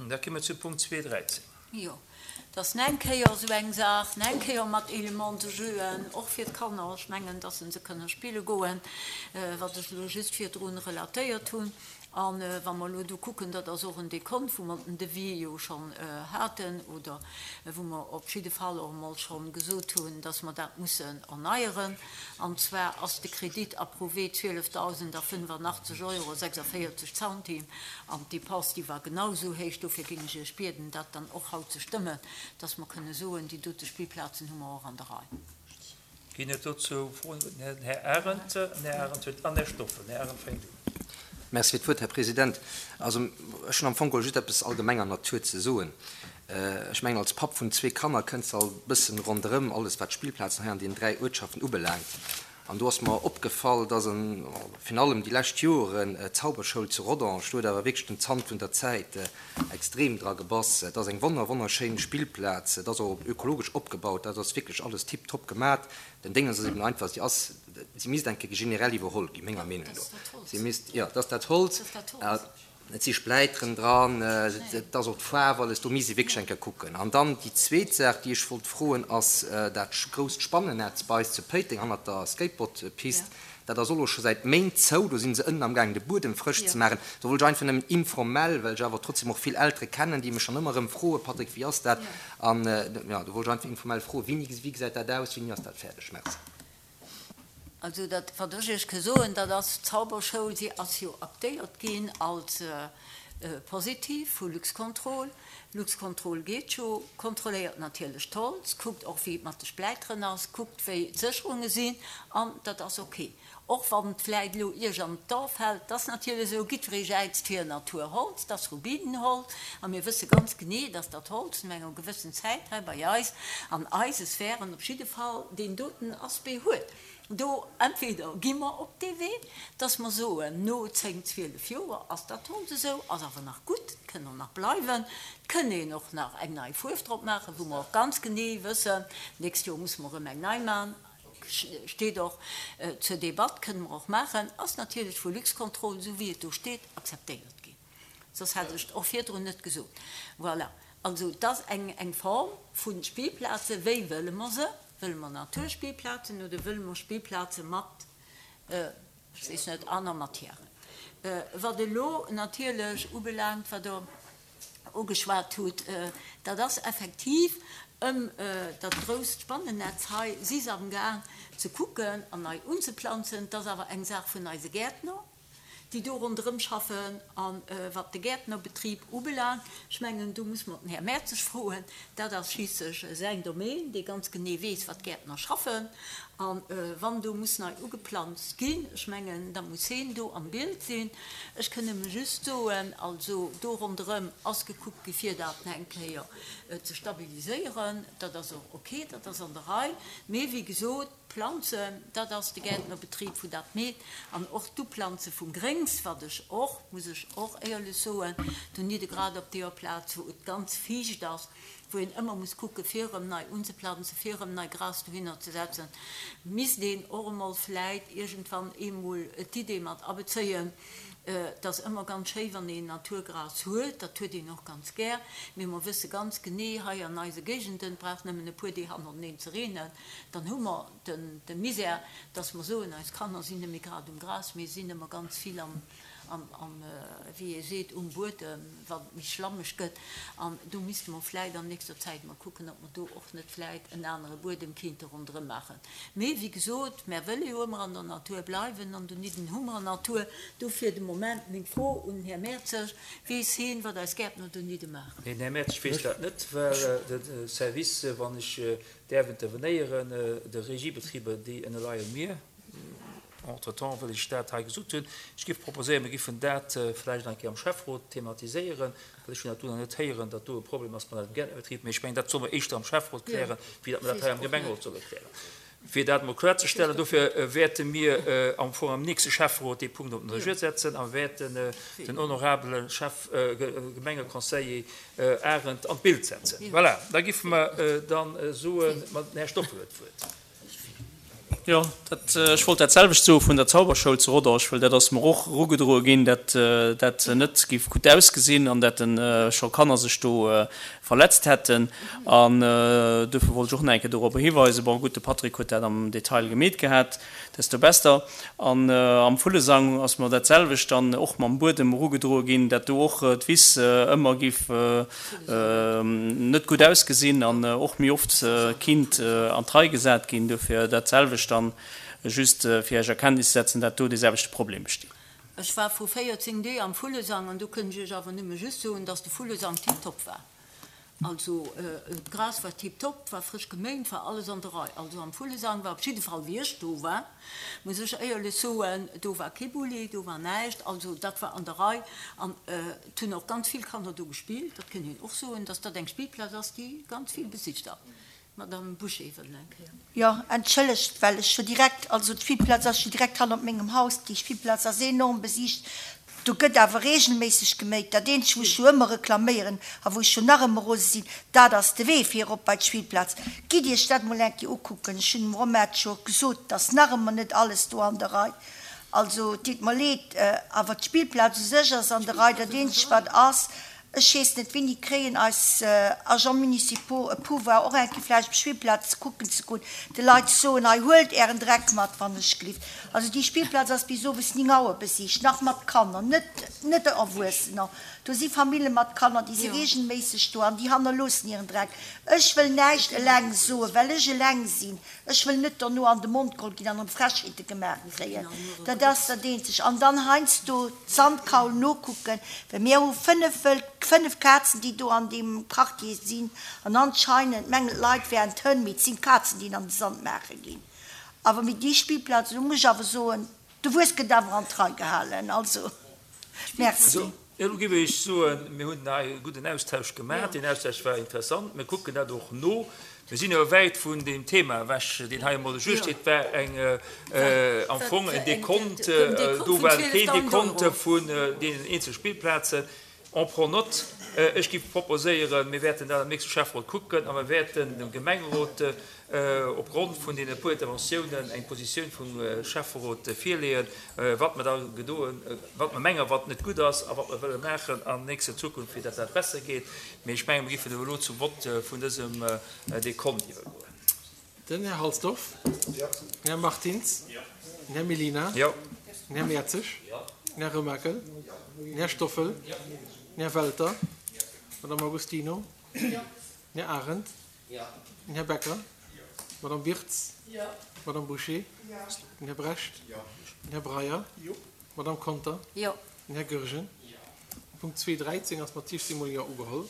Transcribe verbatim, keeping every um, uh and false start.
Da komme mer zu Punkt zwee dräizéng. Jo, et ass eng Kéier esou eng Saach, eng Kéier mat Éléments de jeu-en, och fir d'Kanner. Ech mengen, dass se se kënne spille goen, wat ech elo just virdrun relatéiert hunn. A wa mer elo do kucken, dat ass och en Dekont, wou mer den Devis jo schonn haten oder wou mer op jidde Fall och emol schonn gesot hunn, dass mer dat mussen erneieren. An zwar ass de Kredit approuvé zwielefdausendafënnefannachtzeg Euro sechsundvéierzeg Centime an d'Depense, déi war genau esou héich. Dofir géing ech Iech bieden, dat dann och haut ze stëmmen, dass mer kënne soen, déi dote Spillplazen hu mer och an der Rei. Ginn et dozou Froen? Den Här Arendt, den Här Arendt huet, an Här Stoffel. Den Här Arendt fänkt un. Merci fir d'Wuert, Här President. Also, ech hunn am Fong geholl just eppes allgemenger Natur ze soen. Ech mengen, als Papp vun zwee Kanner kënns de alt e bëssen ronderëm alles, wat d'Spillplazen hei an deenen dräi Uertschaften ubelaangt. An do ass mer opgefall, dass an virun allem déi lescht Joren d'Zauberschoul zu Rodange, do huet awer wierklech den Zant vun der Zäit extrem dra gebass. Et ass eng wonner wonnerschéin Spillplaz, et ass och ökologesch opgebaut, dat ass wierklech alles tiptop gemat. Den Déngens ass eben einfach, si ass, si misst eng Kéier generell iwwerholl ginn, menger Meenung no. Si misst, jo, et ass dat Holz. Et si Spläiteren dran, et ass och d'Faarf, alles, do misst ee wierklech eng Kéier kucken. An dann déi zweet Saach, déi ech wollt froen, ass dat grousst Spannennetz bei eis zu Péiteng hannert der Skateboardpist. Dat ass och elo scho säit Méint zou, do si se ënnen amgaangen de Buedem frësch ze maachen. Do wollt ech einfach nëmmen informell, well ech awer trotzdem och vill Eltere kennen, déi mech dann ëmmer erëm froen, Patrick, wéi ass dat? An jo, do wollt ech einfach informell froen, wéini, wéi gesäit dat aus, wéini ass dat fäerdeg? Merci. Also dat, wat ech Iech ka soen, dat ass d'Zauberschoul, si ass jo aktéiert ginn als positiv vu Luxcontrol. Luxcontrol geet jo, kontrolléiert natierlech d'Holz, kuckt och, wéi et mat de Spläiteren ass, kuckt, wéi d'Sécherunge sinn, an dat ass ok. Och wann et vläit elo Iech an d'A fält, 't ass natierlech esou, jiddweree jäizt fir Naturholz, 't ass Rubinenholz, a mir wësse ganz genee, dass dat Holz no enger gewëssen Zäit hei bei eis an eise Sphären op jidde Fall deen doten Aspect huet. Do entweder gi mer op dee Wee, dass mer soen, no zéng, zwielef Joer ass dat Holz esou, ass awer nach gutt, et kënn och nach bleiwen, et kënn een och nach eng nei Fuerf drop maachen, wou mer och ganz genee wëssen, d'nächst Joer musse mer erëm eng nei maachen, steet och zur Debatt, kënne mer och maachen, ass natierlech vu Luxcontrol, esou wéi et do steet, akzeptéiert ginn. Soss hätt ech et och virdrun net gesot. Voilà. Also et ass eng eng Form vu Spillplazen. Wéi wëlle mer se? Wëlle mer Naturspillplazen oder wëlle mer Spillplaze mat, ech weess net, aner Matièren? Wat elo natierlech ubelaangt, wat Der ugeschwat hutt, dat ass effektiv ëm dat grousst Spannennetz hei si se amgaang ze kucken an nei unzeplanzen. Dat ass awer eng Saach vun eise Gäertner, déi do ronderëm schaffen. A wat de Gäertnerbetrib ubelaangt, ech mengen, do muss mer den Här Mertzig froen, dat ass schliisslech säin Domaine, dee ganz genee weess, wat d'Gäertner schaffen. A wann do muss nei ugeplanzt ginn, ech mengen, da muss heen do am Bild sinn. Ech kënn nëmme just soen, also do ronderëm ass gekuckt gi fir dat eng Kéier ze stabiliséieren. Dat ass och ok, dat ass an der Rei. Mee wéi gesot, d'Planzen, dat ass de Gäertnerbetrib, wou dat meet. An och d'Uplanze vum Gréngs, wat ech och, muss ech och éierlech soen, donidde grad op deeër Plaz, wou et ganz fiicht ass, wou een ëmmer muss kucke fir erëm nei unzeplanzen, fir erëm nei Gras dohinner ze setzen, misst een och emol vläit iergendwann eemol d'Idee mat abezéien, Et ass ëmmer ganz schéi, wann een Naturgras huet, dat huet een och ganz gär, mee mer wësse ganz genee, hei an eise Géigenden, et brauch nëmmen e puer Deeg hannerteneen ze reenen, dann hu mer de Misär, dass mer soen, eis Kanner sinn net méi grad um Gras, mee sinn ëmmer ganz vill am, am, wéi ee seet, um Buedem, wann et méi schlammeg gëtt. An do misste mer vläit an nächster Zäit mol kucken, ob mer do och net vläit en anere Buedem kéinte ronderëm maachen. Mee wéi gesot, mär wëlle jo ëmmer an der Natur bleiwen an donidden hu mer Natur. Dofir de Moment meng Fro un den Här Mertzig, Weess heen, wat eis Gäertner donidde maachen? Nee, den Här Mertzig weess dat net, well de Service, wann ech däerf intervenéieren, de Regiebetriber, déi ënnerleie mir, Entretemps wëll ech dat hei gesot hunn. Ech géif proposéieren, mir géifen dat vläicht eng Kéier am Schäfferot thematiséieren, well ech hunn dat do nach net héieren, datt do e Problem ass mat eisem Gäertnerbetrib. Mee ech mengen, dat solle mer éischter am Schäfferot klären, wéi datt mer dat hei am Gemengerot solle klären. Fir dat emol kloerzestellen, dofir wäerte mir am Fong am nächste Schäfferot dee Punkt op den Regier setzen a wäerten den honorabele Chef, Gemengeconseiller Arendt an d'Bild setzen. Voilà, da géife mer dann soen, den Här Stoffel huet d'Wuert. Jo, dat, ech wollt dat selwecht soe vun der Zauberschoul zu Rodange, well dat ass mer och erugedroe ginn, dat dat net géif gutt ausgesinn an dat scho Kanner sech do verletzt hätten. An dofir wollt ech och nach eng Kéier dorobber hiweisen. Bon, gutt, de Patrick huet dat am Detail gemeet gehat, desto besser. An am Vullesang ass mer dat selwecht dann och mam Buedem erugedroe ginn, dat do och d'Wiss ëmmer géif net gutt ausgesinn an och méi oft kinnt an d'Rei gesat ginn. Dofir dat selwecht dann just fir Iech a Kenntnis ze setzen, dat do dee selwechte Problem besteet. Ech war vru véierzéng Deeg am Vullesang an do kënnt ech Iech awer nëmme just soen, dass de Vullesang tiptop war. Also d'Gras war tiptop, war frësch geméint, war alles an der Rei. Also am Vullesang war op jidde Fall, wéi ech do war, muss ech éierlech soen, do war kee Bulli, do war näischt, also dat war an der Rei an et hunn och ganz vill Kanner do gespillt. Dat kënnt een och soen, dass dat eng Spillplaz ass, déi ganz vill besicht ass. D'Madame Bouché wëll eng Kéier. Jo, entschëllegt, well ech jo direkt, also d'Spillplaz ass jo direkt hannert mengem Haus, déi Spillplaz ass enorm besicht, do gëtt awer regelméisseg geméit. Dat eenzegt, wou ech jo ëmmer reklaméieren a wou ech jo nach ëmmer rose sinn, dat ass de Wee fir erop bei d'Spillplaz. Gitt Iech dat mol eng Kéier ukucken. Ech hunn dem Romain et jo gesot, et ass nach ëmmer net alles do an der Rei. Also, et deet mer leed, awer d'Spillplaz u sech ass an der Rei. Dat eenzegt, wat ass, Ech weess net, wéini kréien eis Agents municipaux e Pouvoir, och eng Kéier vläicht op d'Spillplaz kucken ze goen, de Leit soen, hei huelt Ären Dreck mat, wann ech gelift. Also déi Spillplaz ass bis owes ning Auer besicht, nach mat Kanner, net, net Erwuessener. Do si Famille mat Kanner, déi si regelméisseg do an déi hannerloossen hiren Dreck. Ech wëll näischt eleng soen, well ech eleng sinn. Ech wëll net dono an de Mond geholl ginn an erëm Frechheete gemaach kréien. Dat ass dat Eenzeg. An dann heiansdo d'Sandkaul nokucken, well mir hu fënnef wëll, fënnef Kazen, déi do an deem Quartier sinn. An anscheinend mengen d'Leit wären d'Hënn, mee et sinn d'Kazen, déi an de Sand maache ginn. Awer mee déi Spillplaz, do muss ech awer soen, de Wues gëtt awer an d'Rei gehalen. Also, merci. Elo géif ech soen, mir hunn hei e gudden Austausch gemaach. Deen Austausch war interessant. Mir kucken dat och no. Mir sinn awer wäit vun deem Thema ewech, deen hei emol gesuergt huet. Et war eng, am Fong en Dekont, do war keen Dekont vun deenen eenzele Spillplazen. On prend note. Ech géif proposéieren, mir wäerten dat am nächste Schäfferot kucken a mir wäerten dem Gemengerot opgrond vun deene puer Interventiounen eng Positioun vum Schäfferot virleeën, wat mer da gedoen, wat mer mengen, wat net gutt ass a wat mer wëlle maachen an nächster Zukunft, fir datt dat besser geet. Mee ech mengen, mir géifen elo zum Vott vun dësem Dekont iwwergoen. Den Här Halsdorf. Den Här Martins. Den Här Mellina. Den Här Mertzig. Den Här Remakel. Den Här Stoffel. Den Här Welter. D'Madame Agostino. Den Här Arendt. Den Här Becker. D'Madame Wirtz. D'Madame Bouché. Den Här Brecht. Den Här Breyer. D'Madame Conter. Den Här Goergen. Punkt zwee dräizéng ass mat eestëmmegem Jo ugeholl.